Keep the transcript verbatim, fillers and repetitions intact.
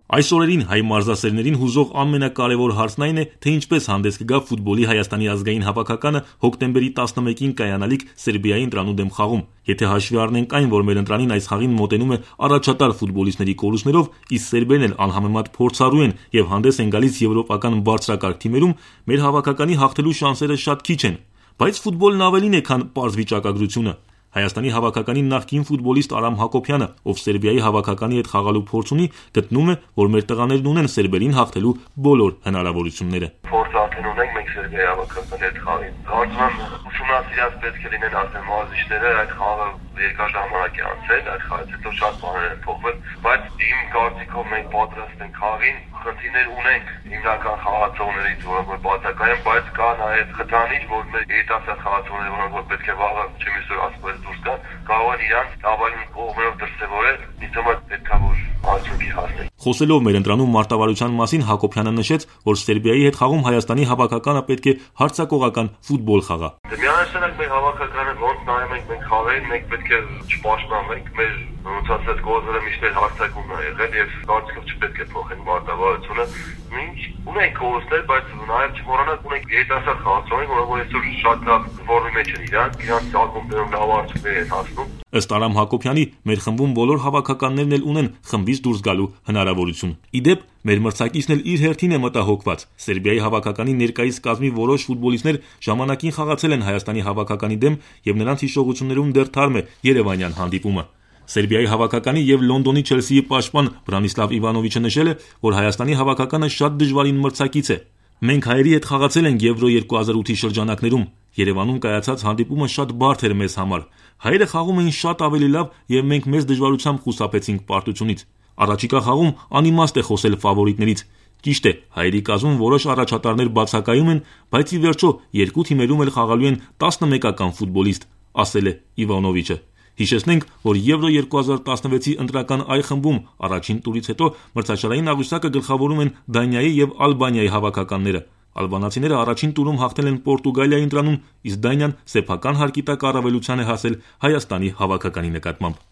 Այս օրերին հայ մարզասերներին հուզող ամենակարևոր հարցն այն է, թե ինչպես հանդես կգա ֆուտբոլի Հայաստանի ազգային հավաքականը հոկտեմբերի տասնմեկին կայանալիք Սերբիայի ընտրանու դեմ խաղում։ Եթե հաշվի առնենք այն, որ մեր ընտրանին այս խաղին մոտենում է առաջատար ֆուտբոլիստների կորուստներով, իսկ սերբերն էլ անհամեմատ փորձառու են եւ հանդես են գալիս եվրոպական բարձրակարգ թիմերում, մեր հավաքականի հաղթելու շանսերը շատ քիչ են։ Բայց ֆուտբոլն ավելին է, քան պարզ վիճակագրությունը։ Հայաստանի հավաքականի նախկին ֆուտբոլիստ Արամ Հակոբյանը, ով Սերբիայի հավաքականի հետ խաղալու փորձ ունի, գտնում է, որ մեր տղաներն ունեն սերբերին հաղթելու բոլոր հնարավորությունները։ Փորձ արդեն ունենք մենք Սերբիայի հավաքականի հետ խաղին։ Կարծում եմ ուսումնասիրած պետք է լինեն արդեն մարզիչները, այդ խաղը երկար ժամանակ է անցել, այդ խաղից հետո շատ բաներ են փոխվել, բայց իմ կարծիքով մենք պատրաստ ենք խաղին, խնդիրներ ունենք հիմնական խաղացողներից, որոնք որ բացակայ են, բայց կա նաև խթանիչ, որ մեր երիտասարդ խաղացողները, որոնք որ պետք է վաղը չեմ իսօր ասպարեզ դուրս գան, կարող են իրանց ավելին կողմերով դրսևորել, ինձ համար պետք է որ արդյունքի հասնել։ Խոսելով մեր ընտրանում մարտավարության մասին, Հակոբյանը նշեց, որ Սերբիայի հետ խաղում Հայաստանի հավաքականը պետք է հարձակողական ֆուտբոլ խաղա։ Միանշանակ մեր հավաքականը ոնց նայում ենք մենք խաղերին, մենք պետք է չպաշտպանվենք, մեր ոնց ասած գոզերը միշտ հարձակումն է եղել եւ կարծիքով չպետք է փոխենք մարտավարությունը։ Մենք ունենք կորուստներ, բայց նաեւ չմոռանանք ունենք երիտասարդ խաղացողներ, որոնք որ այսօր շատ լավ ֆորմի մեջ են իրանք, իրանք ակումբներում լավ արդյունքներ են հասնում։ Ըստ Արամ Հակոբյանի, մեր խմբում բոլոր հավաքականներն էլ ունեն խմբից դուրս գալու հնարավորություն։ Ի դեպ, մեր մրցակիցն էլ իր հերթին է մտահոգված։ Սերբիայի հավաքականի ներկայիս կազմի որոշ ֆուտբոլիստներ ժամանակին խաղացել են Հայաստանի հավաքականի դեմ եւ նրանց հիշողություններում դեռ թարմ է Երևանյան հանդիպումը։ Սերբիայի հավաքականի եւ Լոնդոնի Չելսիի պաշտպան Բրանիսլավ Իվանովիչը նշել է, որ Հայաստանի հավաքականը շատ դժվարին մրցակից է։ Մենք հայերի հետ խաղացել ենք Եվրո երկու հազար ութի շրջանակներում։ Երևանում կայացած հանդիպումը շատ բարդ էր մեզ համար։ Հայերը խաղում էին շատ ավելի լավ եւ մենք մեծ դժվարությամբ խուսափեցինք պարտությունից։ Առաջիկա խաղում անիմաստ է խոսել ֆավորիտներից։ Ճիշտ է, հայերի կազմում որոշ առաջատարներ բացակայում են, բայց ի վերջո երկու թիմերում էլ խաղալու են տասնմեկական ֆուտբոլիստ, ասել է Իվանովիչը։ Հիշեցնենք, որ Եվրո երկու հազար տասնվեցի ընտրական այ խմբում առաջին տուրից հետո մրցաշարային աղյուսակը գլխավորում են Դանիայի եւ Ալբանիայի հավաքականները։ Ալբանացիները առաջին տուրում հաղթել են Պորտուգալիայի ընտրանում, իսկ Դանիան սեփական հարկի տակ առավելության է հասել Հայաստանի հավաքականի նկատմամբ։